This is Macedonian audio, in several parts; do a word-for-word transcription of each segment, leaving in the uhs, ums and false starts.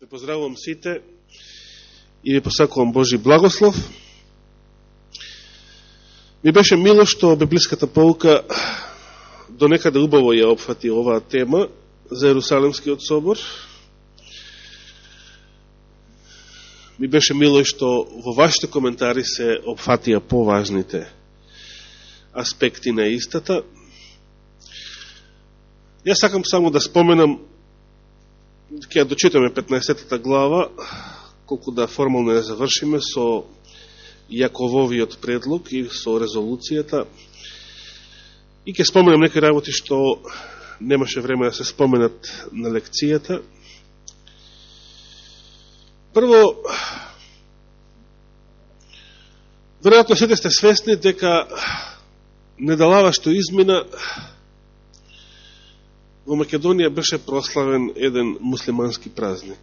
Ве поздравувам сите и ви посакувам Божи благослов. Ми беше мило што библиската поука до некаде убаво ја опфати оваа тема за Ерусалимскиот собор. Ми беше мило и што во вашите коментари се опфатија поважните аспекти на истата. Јас сакам само да споменам, ќе ја дочитаме петнаесеттата глава, колку да формално ја завршиме со Јакововиот предлог и со резолуцијата. И ќе споменам некои работи што немаше време да се споменат на лекцијата. Прво, веројатно сите сте свесни дека недалава што измина во Македонија беше прославен еден муслимански празник.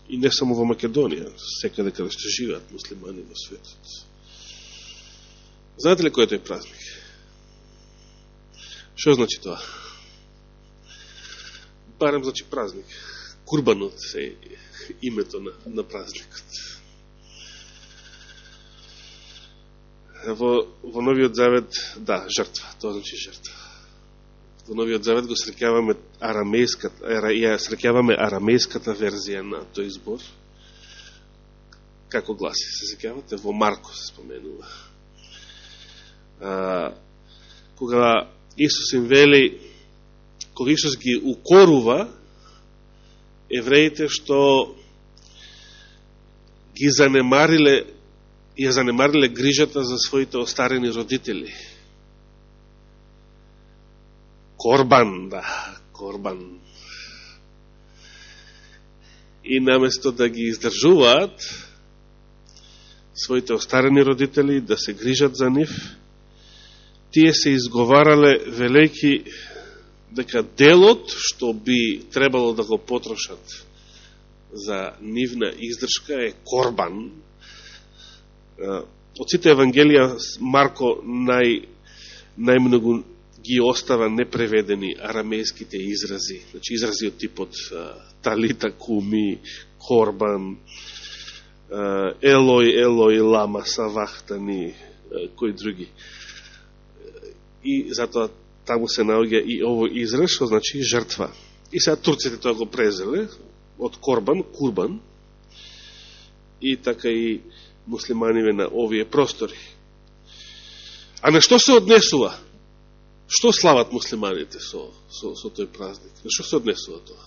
И не само во Македонија, секаде каде што живеат муслимани во светот. Знаете ли кој е тој празник? Што значи тоа? Барем значи празник. Курбанот е името на, на празникот. Во, во Новиот Завет, да, жртва, тоа значи жртва. Во Новиот Завет го среќаваме арамејската, ја среќаваме арамејската верзија на тој збор. Како гласи, се среќавате? Во Марко се споменува. А, кога Исус им вели, кога Исус ги укорува евреите што ги занемариле, ја занемариле грижата за своите остарени родители. Корбан, да, корбан. И наместо да ги издржуваат своите остарени родители, да се грижат за нив, тие се изговарале велејки дека делот што би требало да го потрошат за нивна издршка е корбан. Од сите евангелија Марко нај, најмногу ги остава непреведени арамејските изрази. Значи изрази од типот талита куми, корбан, елој, елој, лама, савахтани, кои други. И затоа таму се наоѓа и овој израз, што значи жртва. И сега турците тоа го презеле од корбан, курбан, и така и муслиманиве на овие простори. А на што се однесува? Што слават муслиманите со, со, со тој празник? На што се однесува тоа?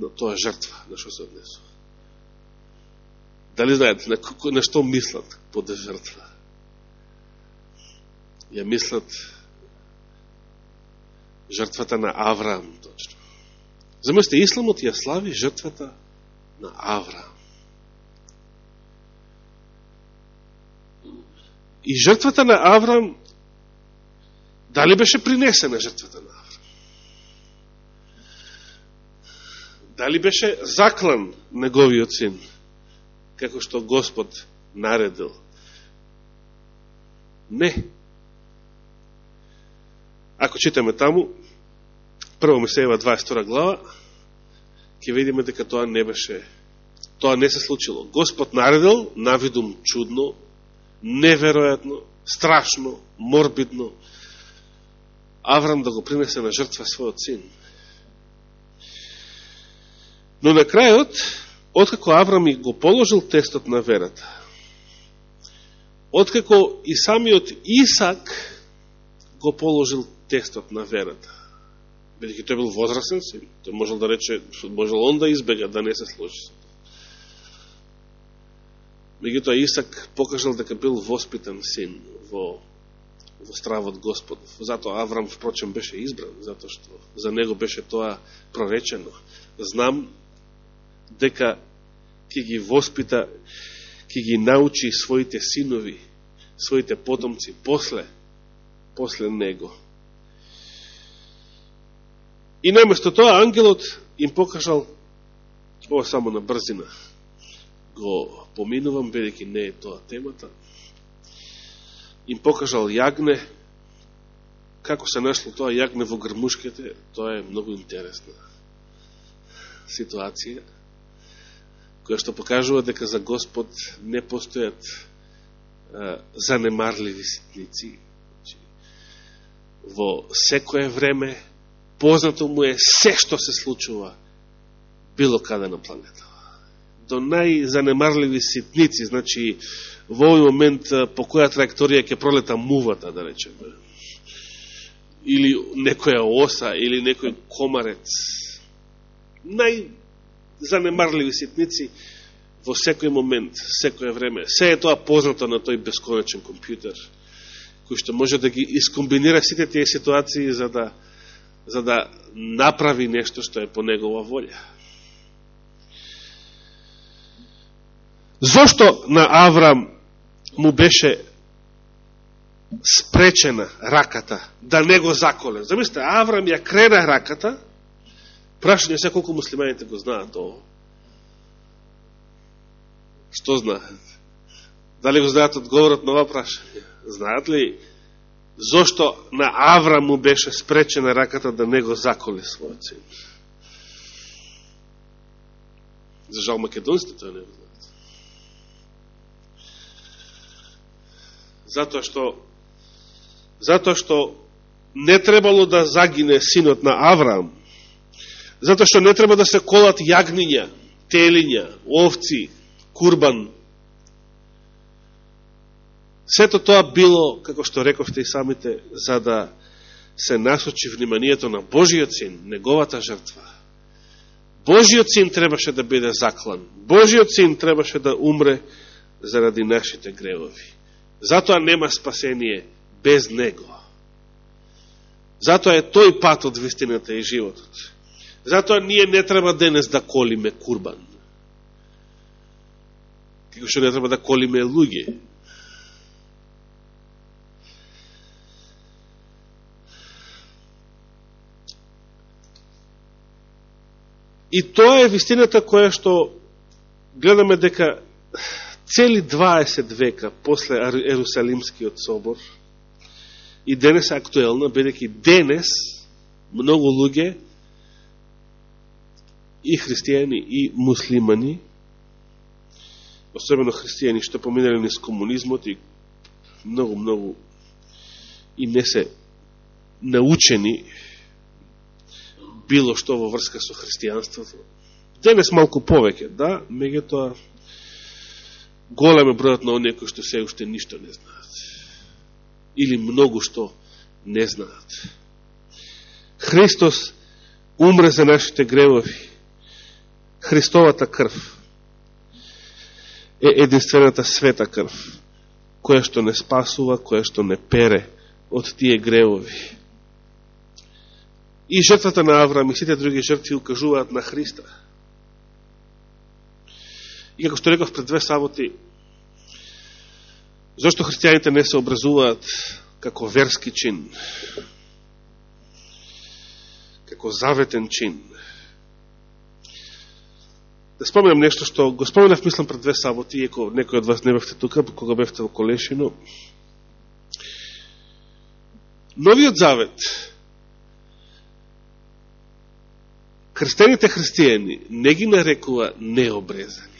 На тоа жртва, на што се однесува? Дали знаете, на, на што мислат под жртва? Ја мислат жртвата на Авраам, точно. Заместе, исламот ја слави жртвата на Авраам. И жртвата на Авраам, дали беше принесена жртвата на Авраам? Дали беше заклан неговиот син, како што Господ наредил? Не. Ако читаме таму, прво Мисеева дваесет и втора глава, ќе видиме дека тоа не беше, тоа не се случило. Господ наредил, навидум чудно, неверојатно, страшно, морбидно, Аврам да го принесе на жртва својот син. Но на крајот, откако Аврам и го положил тестот на верата, откако и самиот Исак го положил тестот на верата, бидејќи тој бил возрастен син, тој можел да рече, можел он да избега, да не се сложи со тоа. Меѓутоа Исак покажал дека бил воспитан син во во стравот Господов. Затоа Аврам, впрочем, беше избран, затоа што за него беше тоа проречено. Знам дека ќе ги воспита, ќе ги научи своите синови, своите потомци после, после него. И наместо тоа ангелот им покажал, ова само на брзина го поминувам, бидејќи не е тоа темата, им покажал јагне. Како се нашло тоа јагне во грмушките, тоа е многу интересно. ситуација, која што покажува дека за Господ не постојат а, занемарливи ситници. Во секое време познато му е се што се случува било каде на планета. До најзанемарливи ситници, значи во овој момент по која траекторија ќе пролета мувата, да речеме, или некоја оса, или некој комарец. Најзанемарливи ситници во секој момент, секој време. Се е тоа познато на тој бесконечен компјутер, кој што може да ги искомбинира сите тие ситуации за да, за да направи нешто што е по негова волја. Зошто на Аврам му беше спречена раката да не го заколе? Замислите, Аврам ја крена раката, прашање се колку муслиманите го знаат ово. Што знаат? Дали го знаат одговорот на ова прашање? Знаат ли зошто на Аврам му беше спречена раката да не го заколе својот син? За жал македонците тоа не го знаат. Затоа што затоа што не требало да загине синот на Авраам, затоа што не треба да се колат јагниња, телиња, овци, курбан. Сето тоа било, како што рековте и самите, за да се насочи вниманието на Божиот син, неговата жртва. Божиот син требаше да биде заклан. Божиот син требаше да умре заради нашите гревови. Затоа нема спасение без него. Затоа е тој пат од вистината и животот. Затоа ние не треба денес да колиме курбан. Како што не треба да колиме луѓе. И тоа е вистината која што гледаме дека цели дваесет века после Ерусалимскиот собор и денес е актуелна, бидејќи денес многу луѓе и христијани и муслимани, особено христијани што поминали низ комунизмот и многу, многу и не се научени било што во врска со христијанството. Денес малку повеќе, да, меѓутоа голем е бројот на оние кои што се уште ништо не знаат. Или многу што не знаат. Христос умре за нашите гревови. Христовата крв е единствената света крв, која што не спасува, која што не пере од тие гревови. И жртвата на Авраам и сите други жртви укажуваат на Христа. И како што реков пред две саботи, зашто христијаните не се образуваат како верски чин, како заветен чин? Да споменам нешто што го споменав, мислам, пред две саботи, иако некој од вас не бевте тука, кога бевте во Колешино. Новиот завет, крстените христијани не ги нарекува необрезани.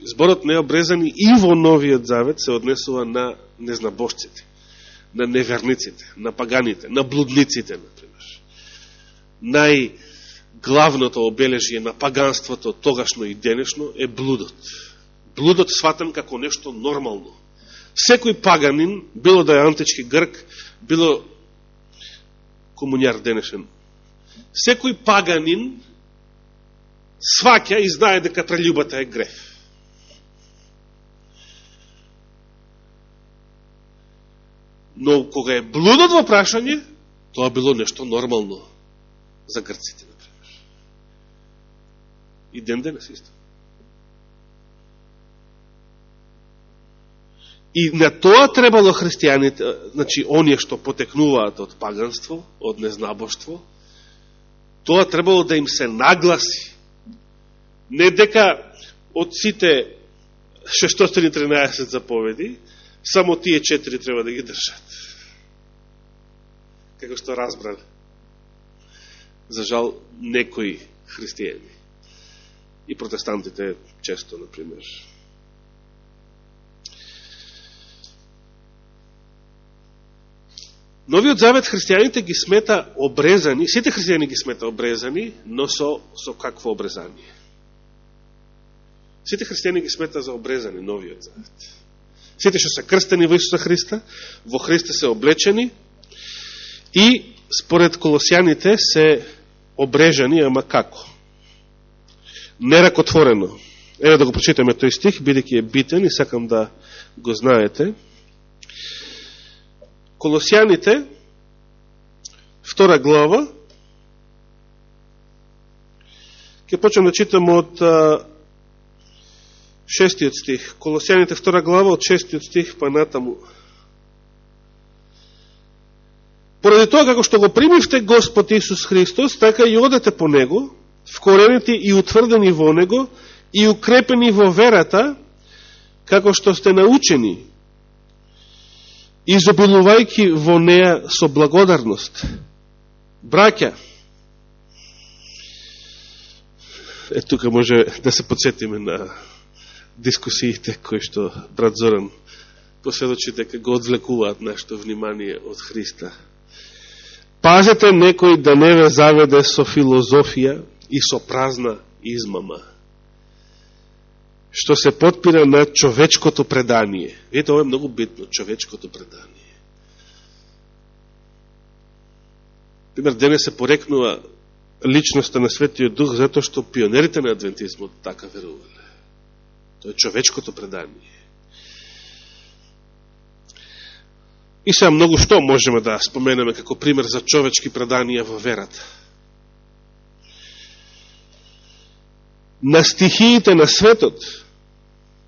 Зборот необрезани и во Новиот Завет се однесува на незнабожците, на неверниците, на паганите, на блудниците, например. Најглавното обележие на паганството тогашно и денешно е блудот. Блудот сватен како нешто нормално. Секој паганин, било да е антички грк, било комуњар денешен, секој паганин сваќа и знае дека прелюбата е греф. Но кога е блудот во прашање, тоа било нешто нормално за грците, например. И ден денес исто. И на тоа требало христијаните, значи, оние што потекнуваат од паганство, од незнабоштво, тоа требало да им се нагласи. Не дека од сите шестстотини и тринаесет заповеди, само тие четири треба да ги држат. Како што разбрали. За жал, некои христијани. И протестантите често, например. Новиот завет христијаните ги смета обрезани, сите христијани ги смета обрезани, но со, со какво обрезание? Сите христијани ги смета за обрезани, новиот завет. Сите што се крстени во Исуса Христа, во Христа се облечени и според Колосјаните се обрежани, ама како? Неракотворено. Еве да го прочитаме тој стих, бидејќи е битен и сакам да го знаете. Колосјаните, втора глава, ќе почнем да читам од а, шестиот стих. Колосјаните, втора глава, од шестиот стих па натаму. Поради тоа како што го примивте Господ Исус Христос, така и одете по Него, вкоренети и утврдени во Него, и укрепени во верата, како што сте научени, изобилувајќи во неа со благодарност. Браќа, е тука може да се подсетиме на дискусиите кои што брат Зоран посведочи дека го одвлекуваат нашето внимание од Христа. Пазете некој да не ве заведе со филозофија и со празна измама, што се потпира на човечкото предание. Ето, ова е многу битно, човечкото предание. Пример, денес се порекнува личноста на Светиот Дух, затоа што пионерите на адвентизмот така верувале. Тоа е човечкото предание. И сега многу што можеме да споменеме како пример за човечки преданија во верата. На стихиите на светот,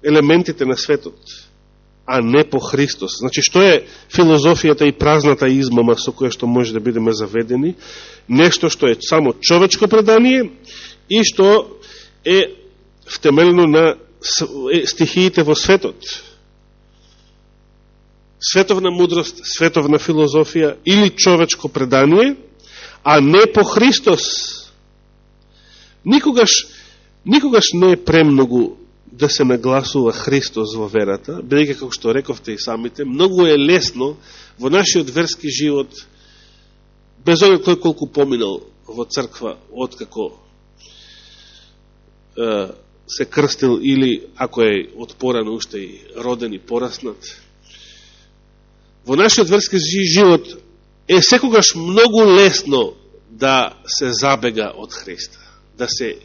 елементите на светот, а не по Христос. Значи, што е филозофијата и празната измама со која што може да бидеме заведени? Нешто што е само човечко предание и што е втемелено на стихиите во светот. Световна мудрост, световна филозофија или човечко предание, а не по Христос. Никогаш, никогаш не е премногу да се нагласува Христос во верата, бидејќи, како што рековте и самите, многу е лесно во нашиот верски живот, без оглед кој колку поминал во црква, откако е, се крстил или ако е од порано уште и роден и пораснат, во нашиот верски живот е секогаш многу лесно да се забега од Христа, да се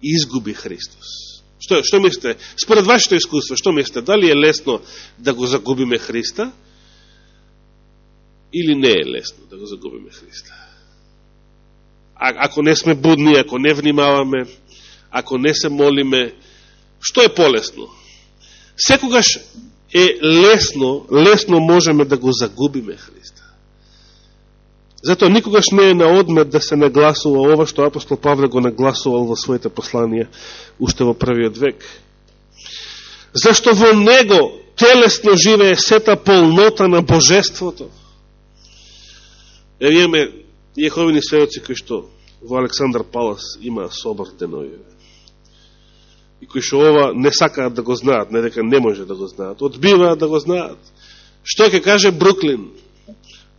изгуби Христос. Што, што мислите? Според вашето искуство, што мислите? Дали е лесно да го загубиме Христа или не е лесно да го загубиме Христа? А, ако не сме будни, ако не внимаваме, ако не се молиме, што е полесно? Секогаш е лесно, лесно можеме да го загубиме Христа. Затоа никогаш не е на одмет да се нагласува ова што апостол Павле го нагласувал во своите посланија уште во првиот век. Зашто во него телесно живее сета полнота на божеството. Е, имаме јеховини сведоци кои што во Александар Палас има собор денови. И кои што ова не сакаат да го знаат, не дека не може да го знаат, одбиваат да го знаат. Што ќе каже Бруклин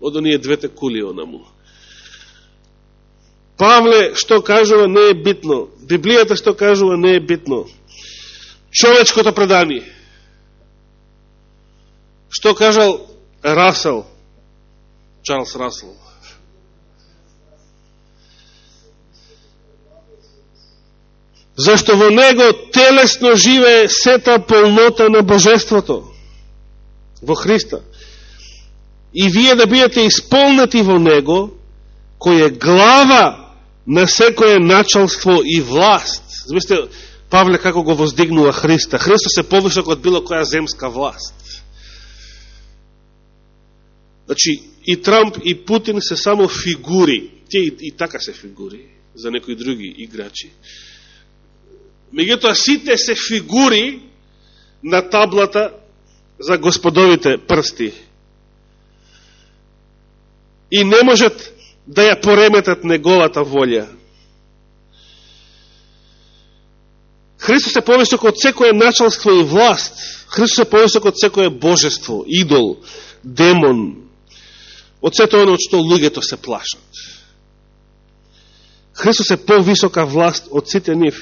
од оние двете кули онаму? Павле што кажува не е битно. Библијата што кажува не е битно. Човечкото предание. Што кажал Расел, Чарлс Расел? Зашто во него телесно живее сета полнота на божеството во Христа. И вие да бидете исполнети во него, кој е глава на секое началство и власт. Замислите, Павле како го воздигнува Христа. Христос е повисок од било која земска власт. Значи, и Трамп, и Путин се само фигури. Те и, и така се фигури за некои други играчи. Меѓутоа, сите се фигури на таблата за господовите прсти. И не можат да ја пореметат неговата волја. Христос е повисок од секое началство и власт. Христос е повисок од секое божество, идол, демон, од сето оно од што луѓето се плашат. Христос е повисока власт од сите нив.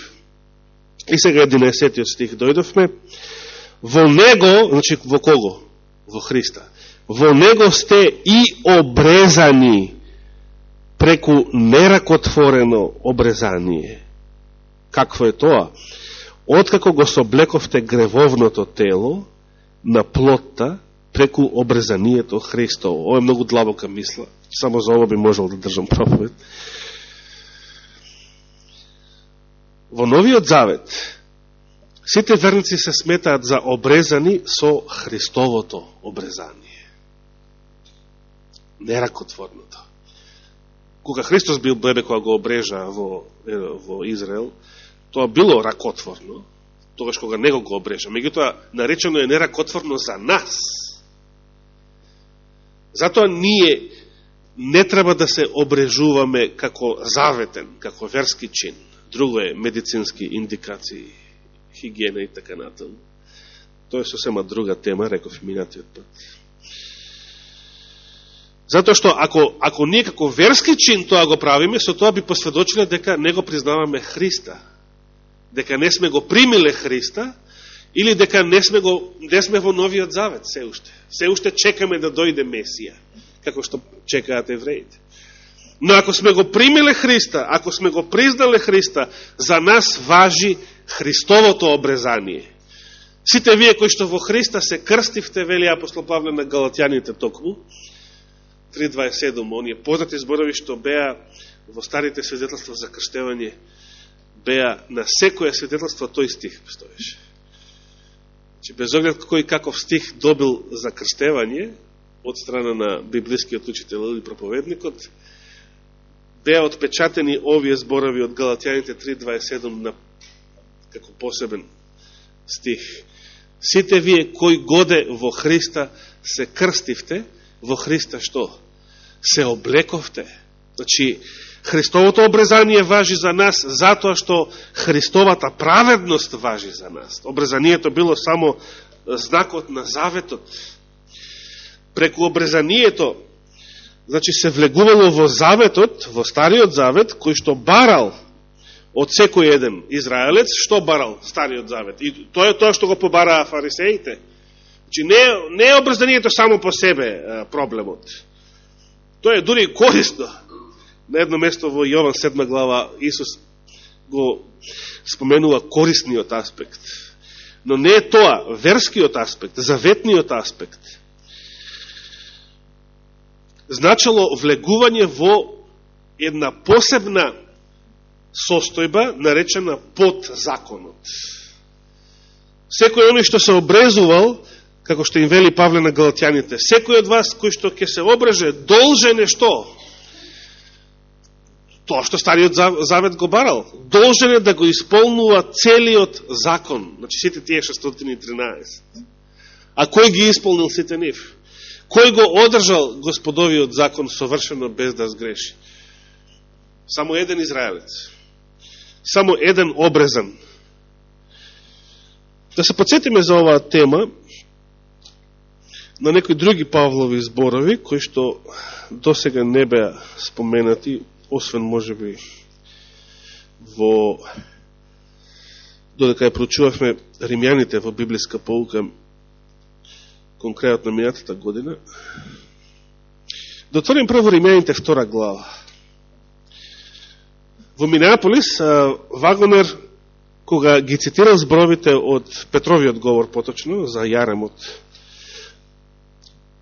И сега единаесеттиот стих дојдовме. Во Него, значи во кого? Во Христа. Во Него сте и обрезани преку неракотворено обрезание. Какво е тоа? Откако го соблековте гревовното тело на плотта преку обрезанието Христово. Ова е многу длабока мисла. Само за ова би можел да држам проповед. Во Новиот Завет сите верници се сметаат за обрезани со Христовото обрезание. Неракотворното. Кога Христос бил бебе, кога го обрежа во, во Израел, тоа било ракотворно, тогаш кога него го обрежа. Меѓутоа, наречено е неракотворно за нас. Затоа ние не треба да се обрежуваме како заветен, како верски чин. Друго е медицински индикации, хигиена и така натаму. Тоа е сосема друга тема, реков минатиот пат. Затоа што ако, ако ние како верски чин тоа го правиме, со тоа би посведочиле дека не го признаваме Христа. Дека не сме го примиле Христа, или дека не сме, го, не сме во Новиот Завет се уште. Се уште чекаме да дојде Месија, како што чекаат евреите. Но ако сме го примиле Христа, ако сме го признале Христа, за нас важи Христовото обрезание. Сите вие кои што во Христа се крстивте, вели апостол Павле на Галатјаните токму, три дваесет и седум, оние познати зборови што беа во старите свидетелства за крштевање, беа на секоја свидетелство тој стих стоеше. Че без оглед кој каков стих добил за крштевање од страна на библискиот учител или проповедникот, беа отпечатени овие зборови од Галатјаните три дваесет и седум на, како посебен стих. Сите вие кои годе во Христа се крстивте, во Христа што? Се облековте. Значи, Христовото обрезание важи за нас затоа што Христовата праведност важи за нас. Обрезанието било само знакот на заветот. Преку обрезанието, значи се влегувало во заветот, во Стариот Завет, кој што барал од секој еден израелец, што барал Стариот Завет. И тоа е тоа што го побараа фарисеите. Значи, не, не е обрезанието само по себе проблемот. Тоа е дури корисно. На едно место во Јован седма глава Исус го споменува корисниот аспект. Но не е тоа, верскиот аспект, заветниот аспект. Значило влегување во една посебна состојба, наречена под законот. Секој оној што се обрезувал, како што им вели Павле на Галатјаните, секој од вас кој што ќе се обреже, должен е што? Тоа што Стариот Завет го барал. Должен е да го исполнува целиот закон. Значи сите тие шестстотини и тринаесет. А кој ги исполнил сите нив? Кој го одржал Господовиот закон совршено без да сгреши? Само еден израелец. Само еден обрезан. Да се подсетиме за оваа тема на некои други Павлови зборови, кои што досега не беа споменати, освен можеби во додека ја проучувавме римјаните во библиска поука конкретно минатата година. Да отворим прво римјаните втора глава. Во Минеаполис Вагонер, кога ги цитирал зборовите од Петровиот говор поточно за Јаремот,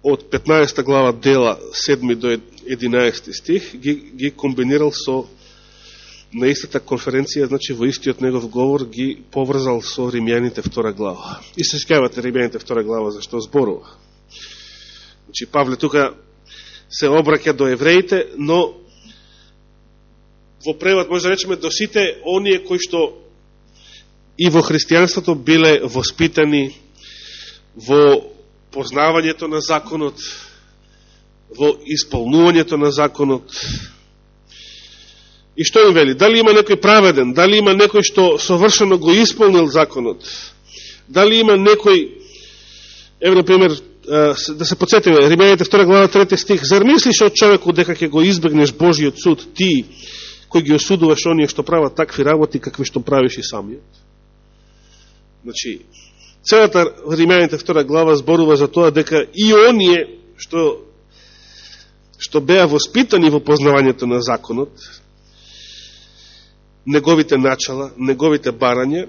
од петнаесета глава дела седми до единаесети стих, ги, ги комбинирал со на истата конференција, значи во истиот негов говор ги поврзал со Римјаните втора глава. И се скавате Римјаните втора глава за што зборува. Значи Павле тука се обраќа до евреите, но во превод може да речеме до сите оние кои што и во христијанството биле воспитани во познавањето на законот, во исполнувањето на законот, И што им вели? Дали има некој праведен? Дали има некој што совршено го исполнил законот? Дали има некој, ево, например, да се подсетиме, Римјаните втора глава трети стих, зар мислиш од човеку дека ќе го избегнеш Божиот суд, ти, кој ги осудуваш оние што прават такви работи, какви што правиш и самиот? Значи, целата Римјаните втора глава зборува за тоа дека и оние што, што беа воспитани во познавањето на законот, неговите начала, неговите барања,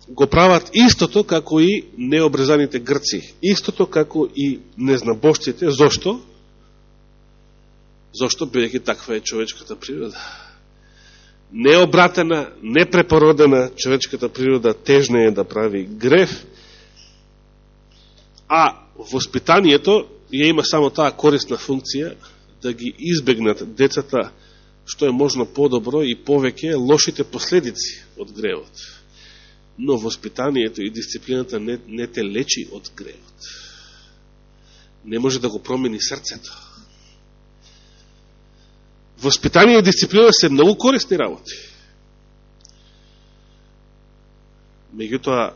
го прават истото како и необрезаните грци, истото како и незнабожците. Зошто? Зошто, бидејќи таква е човечката природа. Необратена, непрепородена човечката природа тежна е да прави грев, а воспитанието ја има само таа корисна функција да ги избегнат децата што е можно подобро и повеќе лошите последици од гревот. Но воспитанието и дисциплината не, не те лечи од гревот. Не може да го промени срцето. Воспитание и дисциплина се многу корисни работи. Меѓутоа,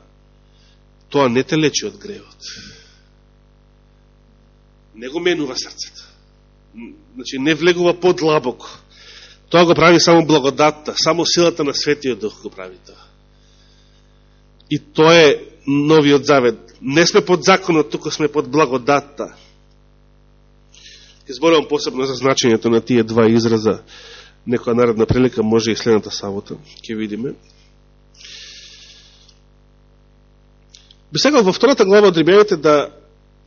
тоа не те лечи од гревот. Не го менува срцето. Значи, не влегува подлабоко. Тоа го прави само благодатта, само силата на Светиот Дух го прави тоа. И тоа е новиот завет. Не сме под законот, туку сме под благодатта. Ке зборувам посебно за значењето на тие два израза. Некоја наредна прилика, може и следната сабота, ќе видиме. Би сакал во втората глава од Римјаните да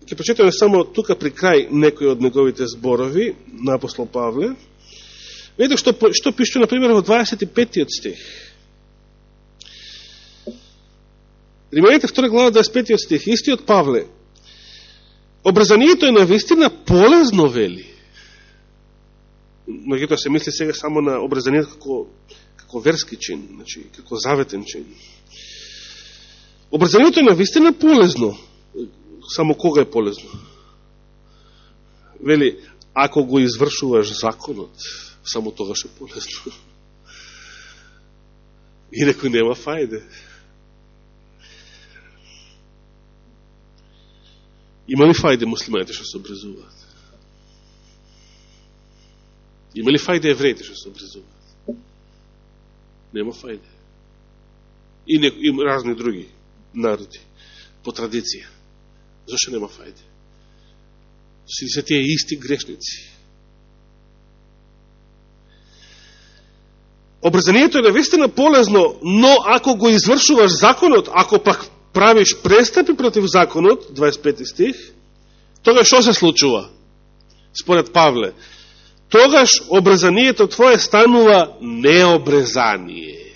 ќе прочитаме само тука при крај некои од неговите зборови на апостол Павле. Видите што, што пише, например, во дваесет и петиот стих. Римјаните втора глава, дваесет и петиот стих, истиот Павле. Обрезанието е навистина полезно, вели. Меѓутоа се мисли сега само на обрезанието како, како верски чин, значи, како заветен чин. Обрезанието е навистина полезно. Само кога е полезно? Вели, ако го извршуваш законот, само тогаш е полезно. Инаку нема фајде. Има ли фајде муслиманите што се обрезуваат? Има ли фајде евреите што се обрезуваат? Нема фајде. И, не, и разни други народи, по традиција. Зашто нема фајде? Си се тие исти грешници. Обрезанието е навистина полезно, но ако го извршуваш законот, ако пак правиш престапи против законот, дваесет и пети стих, тогаш што се случува? Според Павле, тогаш обрезанието твое станува необрезание.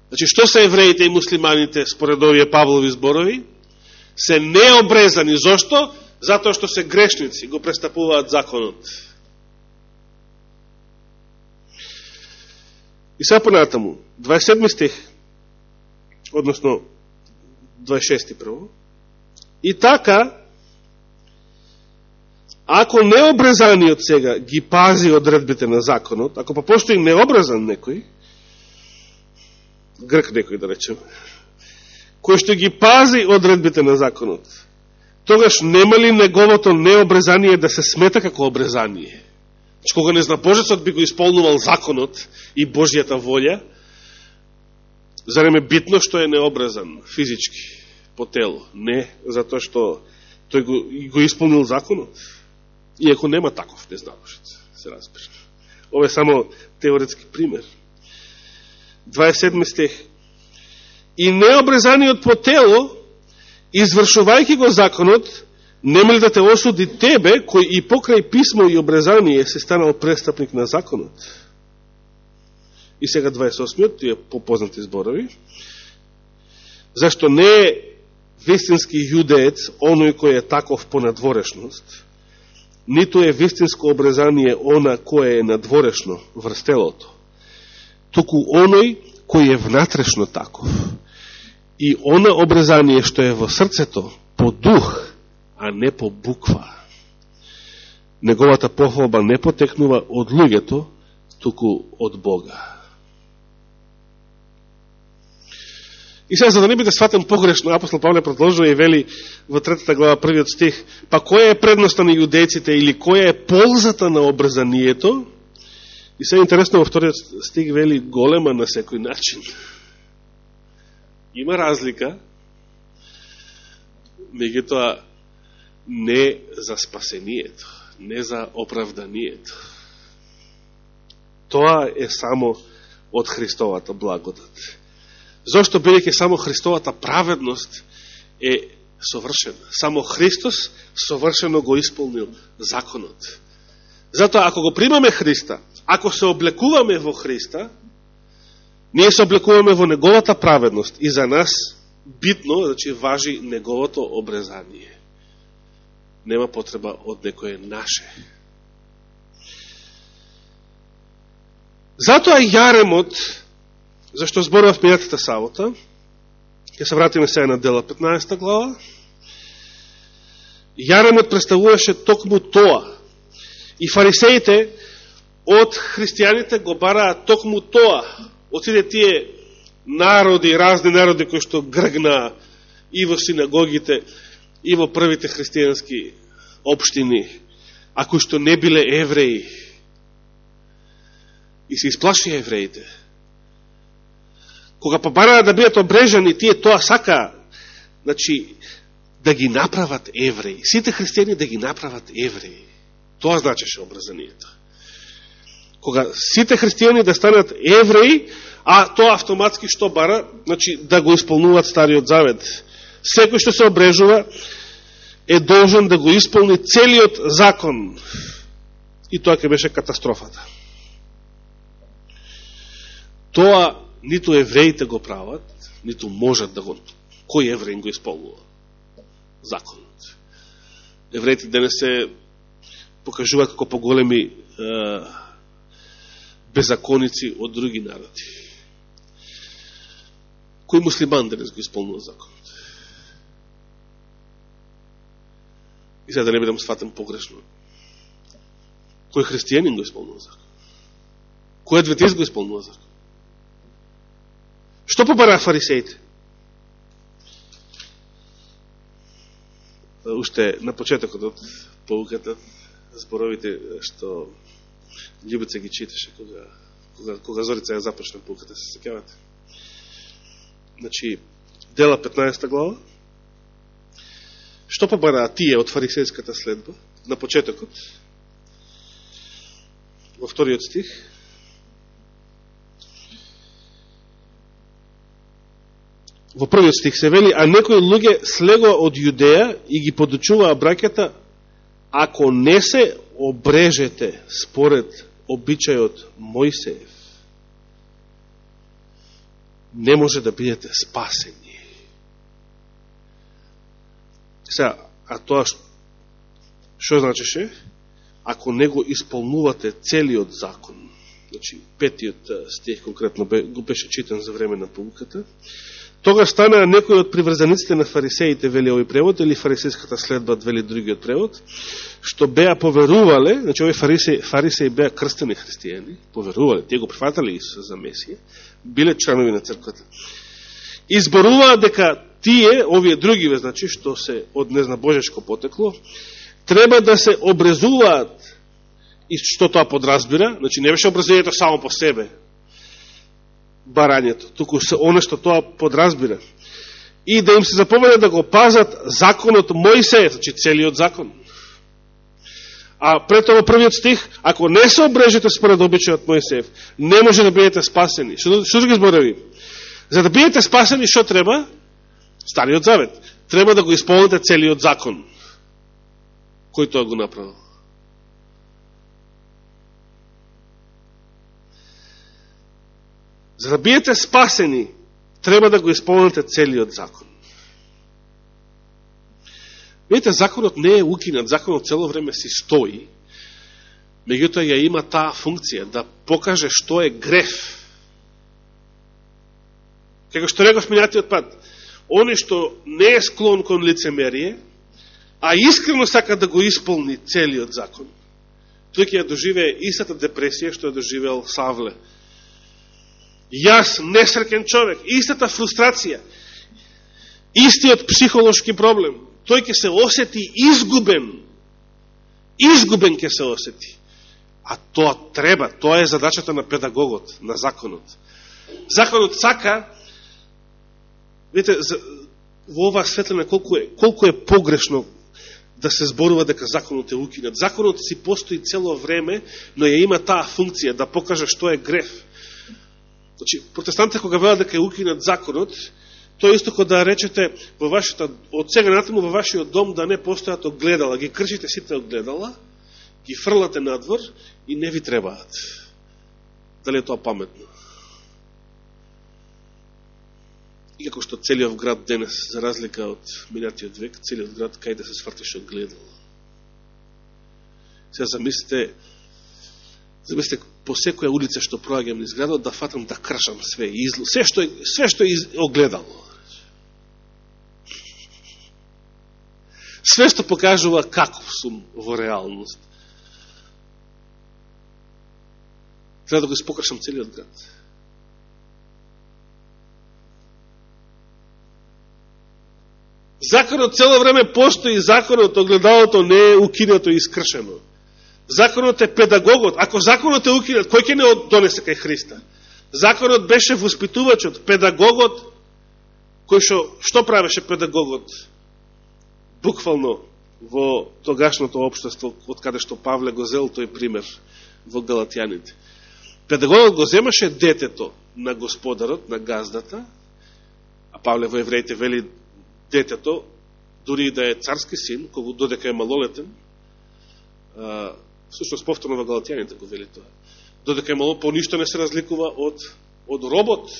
Значи, што се евреите и муслиманите, според овие Павлови зборови? Се необрезани. Зошто? Затоа што се грешници, го престапуваат законот. И сега понатаму, дваесет и седми стих, односно дваесет и шести прво. И така, ако необрезаниот сега ги пази одредбите на законот, ако па постои необрезан некој, грк некој да речем, кој што ги пази одредбите на законот, тогаш нема ли неговото необрезание да се смета како обрезание? Значи, кога незнабожецот би го исполнувал законот и Божијата волја, зарем е битно што е необрезан физички по тело? Не, затоа што тој го, го исполнил законот. Иако нема таков незнабожец, се разбира. Ова е само теоретски пример. дваесет и седми стих. И необрезаниот по тело, извршувајќи го законот, нема ли да те осуди тебе, кој и покрај писмо и обрезание се станал престапник на законот? И сега дваесет и осмиот, тие попознати зборови. Зашто не е вистински јудеец оној кој е таков по надворешност, ниту е вистинско обрезание она кој е надворешно врз телото, туку оној кој е внатрешно таков. И она обрезание што е во срцето, по дух, а не по буква. Неговата похвалба не потекнува од луѓето, туку од Бога. И сега, за да не биде сватен погрешно, апостол Павле продолжува и вели во третата глава, првиот стих, па која е предноста на јудејците или која е ползата на обрезанието? И сега интересно, во вториот стих вели голема на секој начин. Има разлика, меѓутоа не за спасението, не за оправданието. Тоа е само од Христовата благодат. Зошто, бидејќи само Христовата праведност е совршена. Само Христос совршено го исполнил законот. Затоа, ако го примаме Христа, ако се облекуваме во Христа, ние се облекуваме во Неговата праведност и за нас битно, значи, важи Неговото обрезание. Нема потреба од некое наше. Затоа јаремот, зашто зборував мејатата сабота, ќе се вратиме сега на Дела петнаесета глава, јаремот представуваше токму тоа. И фарисеите од христијаните го бараат токму тоа. Од сите тие народи, разни народи кои што гргнаа и во синагогите, и во првите христијански општини, а кои што не биле евреи. И се исплашија евреите. Кога побараа да бидат обрежани, тие тоа сака, значи, да ги направат евреи. Сите христијани да ги направат евреи. Тоа значеше обрезанието. Кога сите христијани да станат евреи, а тоа автоматски што бара, значи, да го исполнуваат Стариот Завет. Секој што се обрежува е должен да го исполни целиот закон. И тоа ќе беше катастрофата. Тоа ниту евреите го прават, ниту можат да го... Кој евреин го исполнува? Законот. Евреите денес се покажуваат како поголеми е, беззаконици од други народи. Кој муслиман денес го исполнува законот? И сега да не бидам сватен погрешно. Кој христијанин го исполнува закон? Кој адвентист го исполнува закон? Што побараа фарисеите? Уште на почетокот од поуката, зборовите што Љубица ги читаше кога, кога, кога Зорица ја започна поуката, се сеќавате. Значи, Дела петнаесета глава. Што побараа тие од фарисејската следба на почетокот? Во вториот стих. Во првиот стих се вели, а некои луѓе слегоа од Јудеја и ги подучуваа браќата, ако не се обрежете според обичајот Мојсеев, не може да бидете спасени. Сега, а тоа што значеше? Ако не го исполнувате целиот закон, значи петиот стих конкретно го беше читан за време на поуката, тога станаа некои од приврзаниците на фарисеите, вели овој превод, или фарисејската следба, вели другиот превод, што беа поверувале, значи овој фарисеи, фарисеи беа крстени христијани, поверувале, тие го прифатали Исуса за Месија, биле членови на црквата. Изборуваа дека тие, овие другиве, значи, што се од незна божешко потекло, треба да се обрезуваат, и што тоа подразбира, значи не беше обрезувањето само по себе, барањето, туку се оно што тоа подразбира. И да им се заповеда да го пазат законот Мојсеев, значи целиот закон. А пред тоа првиот стих, ако не се обрежете според обичајот Мојсеев, не може да бидете спасени. Што, што ги збореви? За да бидете спасени, што треба? Стариот Завет. Треба да го исполните целиот закон. Кој тоа го направил? За да бидете спасени, треба да го исполните целиот закон. Видите, законот не е укинат, законот цело време си стои, меѓутоа ја има таа функција да покаже што е греф. Како што реков минатиот пат, оној што не е склон кон лицемерие, а искрено сака да го исполни целиот закон, тој ќе ја доживее истата депресија што ја доживеал Савле. Јас, несреќен човек, истата фрустрација, истиот психолошки проблем, тој ќе се осети изгубен, изгубен ќе се осети. А тоа треба, тоа е задачата на педагогот, на законот. Законот сака, видите, во оваа светлина колку е, колку е погрешно да се зборува дека законот е укинат. Законот си постои цело време, но ја има таа функција да покаже што е греф. Значи, протестантите кога велат дека е укинат законот, тоа исто кога да речете во вашата, од сега натаму во вашиот дом да не постојат огледала, ги кршите сите огледала, ги фрлате надвор и не ви требаат. Дали е тоа паметно? И како што целиот град денес, за разлика од минатиот век, целиот град кај да се свртеше огледало. Сега замислите, замислите по секоја улица што проаѓам низ градот, да фатам да кршам све изло, све што е, све што е огледало. Све што покажува каков сум во реалност. Треба да го испокрашам целиот град. Законот цело време постои, законот, огледалото не е укинато и искршено. Законот е педагогот. Ако законот е укинат, кој ќе не донесе кај Христа? Законот беше воспитувачот, педагогот, кој шо, што правеше педагогот? Буквално во тогашното општество, од каде што Павле го зел тој пример во Галатјаните. Педагогот го земаше детето на господарот, на газдата, а Павле во Евреите вели детето, дури и да е царски син, кога додека е малолетен, а, всушност повторно во Галатјаните го вели тоа, додека е малолетен, по ништо не се разликува од, од робот.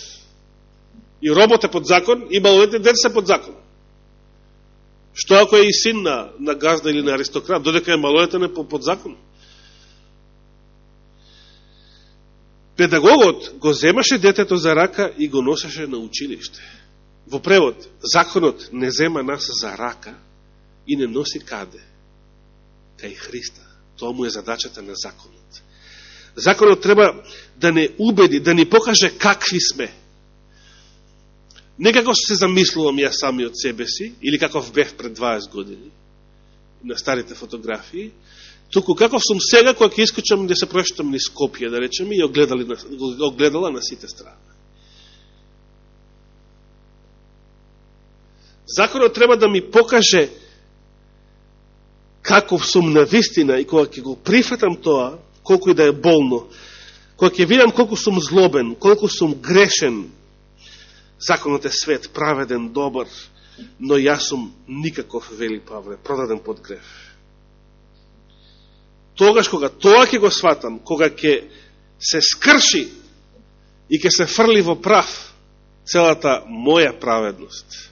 И робот е под закон, и малолетен дете се под закон. Што ако е и син на, на газда или на аристократ, додека е малолетен е под закон. Педагогот го земаше детето за рака и го носеше на училиште. Во превод, законот не зема нас за рака и не носи каде? Кај Христа. Тоа му е задачата на законот. Законот треба да не убеди, да ни покаже какви сме. Не како се замислувам јас сами од себе си, или каков бев пред дваесет години, на старите фотографии, туку каков сум сега, кога ќе искочам да се прошетам низ Скопје, да речем, и огледали, огледала на сите страни. Законот треба да ми покаже каков сум на вистина и кога ќе го прифатам тоа, колку и да е болно, кога ќе видам колку сум злобен, колку сум грешен, законот е свет, праведен, добар, но јас сум никаков, вели Павле, продаден под грев. Тогаш кога тоа ќе го сватам, кога ќе се скрши и ќе се фрли во прав целата моја праведност,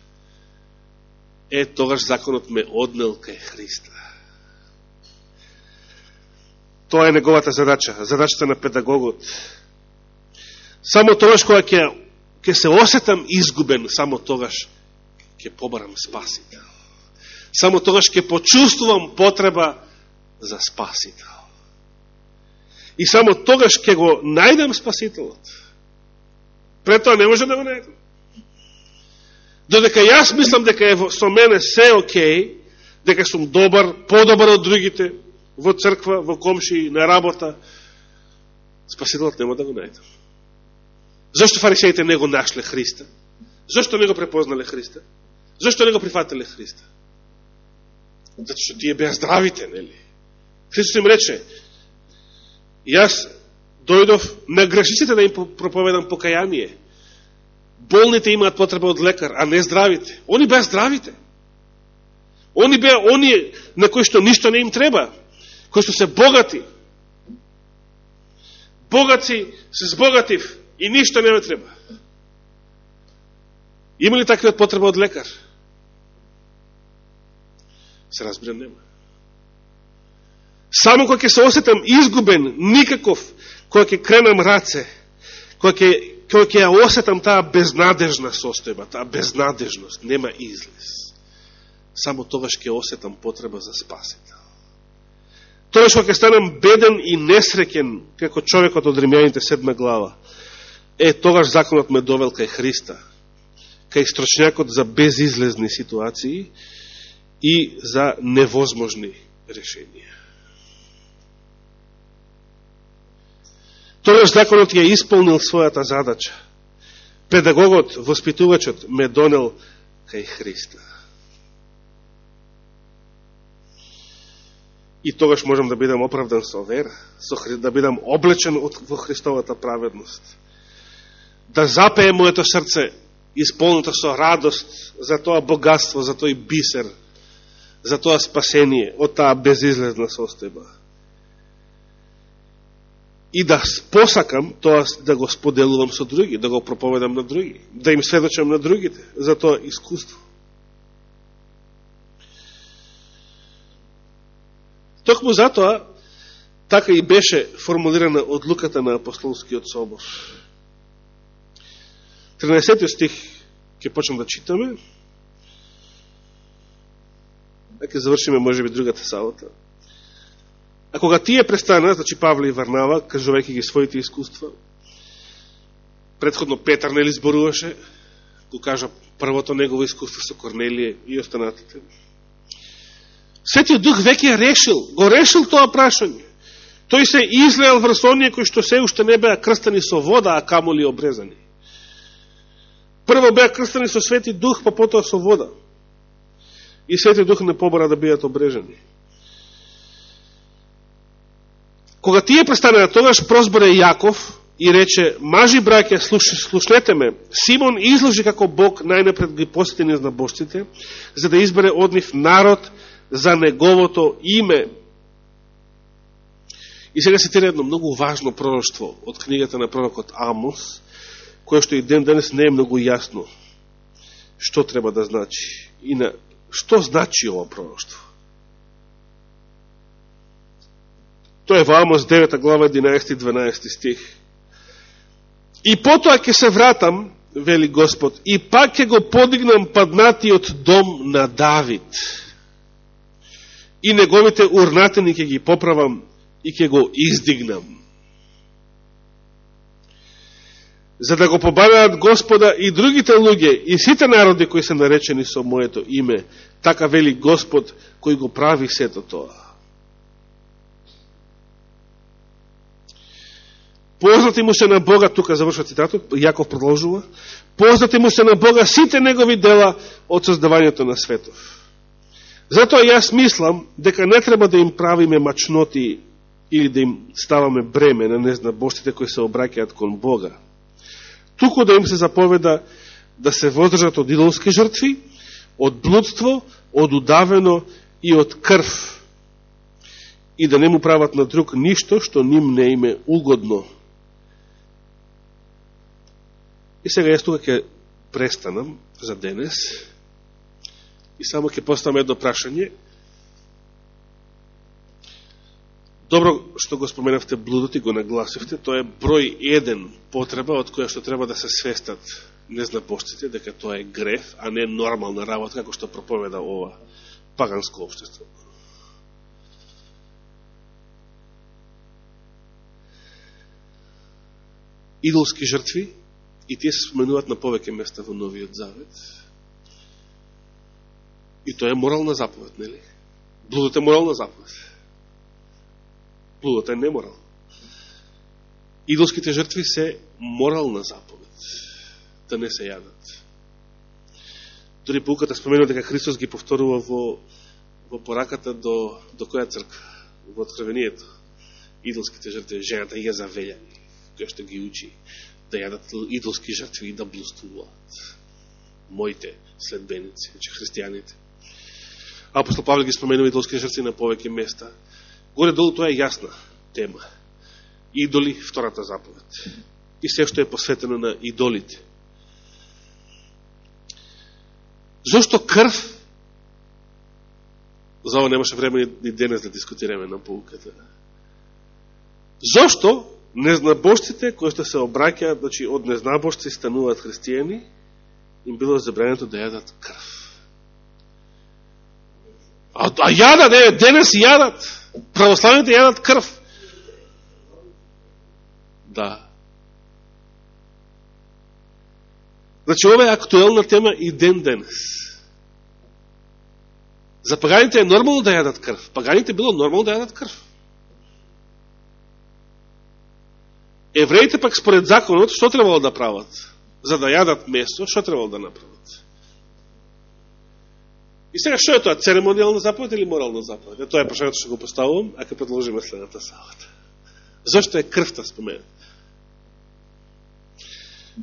е, тогаш законот ме однел кај Христа. Тоа е неговата задача, задачата на педагогот. Само тогаш кога ќе, ќе се осетам изгубен, само тогаш ќе побарам спасител. Само тогаш ќе почувствувам потреба за спасител. И само тогаш ќе го најдем спасителот. Пред тоа не може да го најдем. Додека јас мислам дека е со мене се окей, дека сум добар, подобар од другите, во црква, во комши, на работа, спасителот нема да го најдем. Зошто фарисеите не го нашле Христа? Зошто не го препознале Христа? Зошто не го прифатиле Христа? Зато што тие беа здравите, нели? Христос им рече, јас дојдов на грешниците да им проповедам покаяние. Болните имаат потреба од лекар, а не здравите. Они беа здравите. Они беа оние на кои што ништо не им треба, кои што се богати. Богати се збогатив и ништо не ме треба. Има ли таквиот потреба од лекар? Се разбирам, нема. Само кога ќе се осетам изгубен, никаков, кога ќе кренам раце, кога ќе кога ќе ја осетам таа безнадежна состојба, таа безнадежност, нема излез. Само тогаш ќе осетам потреба за спасител. Тоа што ќе станам беден и несреќен, како човекот од Римјаните седма глава, е, тогаш законот ме довел кај Христа, кај строчњакот за безизлезни ситуации и за невозможни решенија. Тогаш законот ја исполнил својата задача. Педагогот, воспитувачот ме донел кај Христа. И тогаш можам да бидам оправдан со вера, со, да бидам облечен во Христовата праведност. Да запее моето срце исполнето со радост за тоа богатство, за тој бисер, за тоа спасение од таа безизлезна состојба. И да посакам тоа да го споделувам со други, да го проповедам на други, да им сведочам на другите за тоа искуство. Токму затоа, така и беше формулирана одлуката на Апостолскиот собор. тринаесети стих ќе почнем да читаме. А ќе завршиме можеби другата сабота. А кога тие престана, значи Павле и Варнава, кажувајќи ги своите искуства, предходно Петар нели зборуваше, го кажа првото негово искуство со Корнелие и останатите. Светиот Дух веќе решил, го решил тоа прашање. Тој се излеал врз оние кои што се уште не беа крстени со вода, а камоли обрезани. Прво беа крстени со Свети Дух, па потоа со вода. И Свети Дух не побара да бидат обрежани. Кога тие престанаа, тогаш прозборе Јаков и рече: мажи браќа, слуш, слушнете ме, Симон изложи како Бог најнапред ги посети незнабожците, за да избере од нив народ за неговото име. И сега се тира едно многу важно пророштво од книгата на пророкот Амос, кое што и ден денес не е многу јасно што треба да значи и на што значи ова пророштво. Тоа е во Амос девета глава единаесети и дванаесети стих. И потоа ќе се вратам, вели Господ, и пак ќе го подигнам паднатиот дом на Давид. И неговите урнатини ќе ги поправам и ќе го издигнам. За да го побаваат Господа и другите луѓе и сите народи кои се наречени со моето име, така вели Господ кој го прави сето тоа. Познати му се на Бога, тука завршва цитатот, Јаков продолжува, познати му се на Бога сите негови дела од создавањето на светов. Затоа јас мислам дека не треба да им правиме мачноти или да им ставаме бреме на незнабожците кои се обраќаат кон Бога. Туку да им се заповеда да се воздржат од идолски жртви, од блудство, од удавено и од крв, и да не му прават на друг ништо што ним не им е угодно. И сега јас тука ќе престанам за денес и само ќе поставам едно прашање. Добро што го споменавте блудот и го нагласивте, тоа е број еден потреба од која што треба да се свестат незнабожците, дека тоа е греф, а не нормална работа, како што проповеда ова паганско општество. Идолски жртви, и тие се споменуваат на повеќе места во Новиот Завет. И тоа е морална заповед, нели? Блудот е морална заповед. Блудот е неморал. Идолските жртви се морална заповед, да не се јадат. Дори поуката споменува дека Христос ги повторува во, во пораката до, до која црква? Во Откровението. Идолските жртви, жената ја завељани, која што ги учи да јадат идолски жртви и да блудствуваат. Моите следбеници, значи христијаните. Апостол Павле ги споменува идолски жртви на повеќе места. Горе-долу тоа е јасна тема. Идоли, втората заповед. И се што е посветено на идолите. Зошто крв? За ова немаше време ни денес да дискутираме на поуката. Зошто незнабожците кои што се обраќаат, значи од незнабожци стануваат христијани, им било забрането да јадат крв? А, а јадат, не, денес јадат. Православните јадат крв. Да. Значи, ова е актуелна тема и ден денес. За паганите е нормално да јадат крв. Паганите било нормално да јадат крв. Евреите пак според законот, што требало да прават? За да јадат место, што требало да направат? И сега, што е тоа? Церемонијална заповед или морална заповед? Е, тоа е прашањето што го поставувам, ако предложиме следната сабота. Зошто е крвта споменат?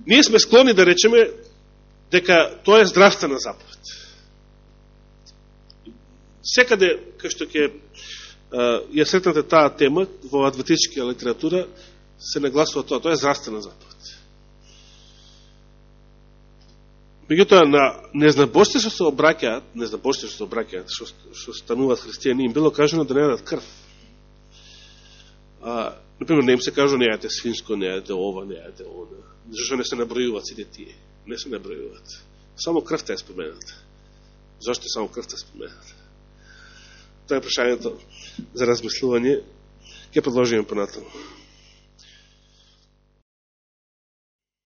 Ние сме склони да речеме дека тоа е здравствена заповед. Секаде, кај што ќе ја сретнате таа тема во адвентичка литература, се нагласува тоа. Тоа е здравствена заповед. Меѓутоа, на незнабожците што се обраќаат, незнабожците што се обраќаат, што, што стануваат христијани, им било кажано да не јадат крв. А, например, не им се кажу не јадете свинско, не јадете ова, не јадете ова. Зашто не се набројуваат сите тие? Не се набројуваат. Само крвта е спомената. Зашто само крвта е спомената? Тоа е прашањето за размислување. Ќе продолжиме понатаму.